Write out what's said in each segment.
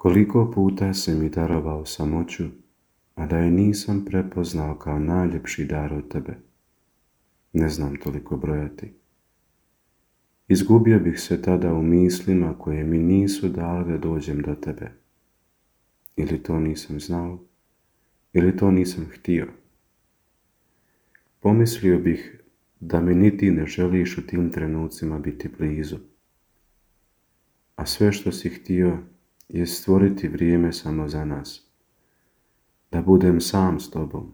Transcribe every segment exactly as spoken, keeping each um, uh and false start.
Koliko puta si mi darovao samoću, a da je nisam prepoznao kao najljepši dar od tebe. Ne znam toliko brojati. Izgubio bih se tada u mislima koje mi nisu dale da dođem do tebe. Ili to nisam znao, ili to nisam htio. Pomislio bih da mi niti ne želiš u tim trenucima biti blizu. A sve što si htio je stvoriti vrijeme samo za nas. Da budem sam s tobom.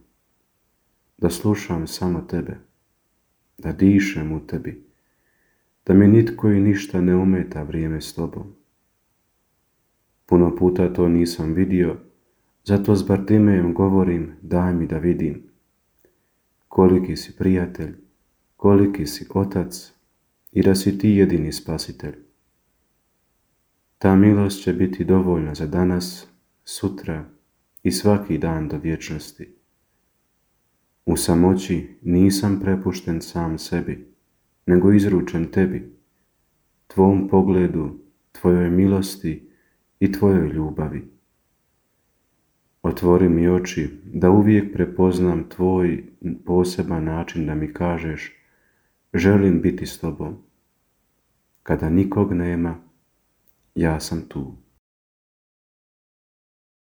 Da slušam samo tebe. Da dišem u tebi. Da mi nitko i ništa ne ometa vrijeme s tobom. Puno puta to nisam vidio, zato s Bartimejem govorim daj mi da vidim. Koliki si prijatelj, koliki si otac i da si ti jedini spasitelj. Ta milost će biti dovoljna za danas, sutra i svaki dan do vječnosti. U samoći nisam prepušten sam sebi, nego izručen tebi, tvom pogledu, tvojoj milosti i tvojoj ljubavi. Otvori mi oči da uvijek prepoznam tvoj poseban način da mi kažeš želim biti s tobom. Kada nikog nema, ja sam tu.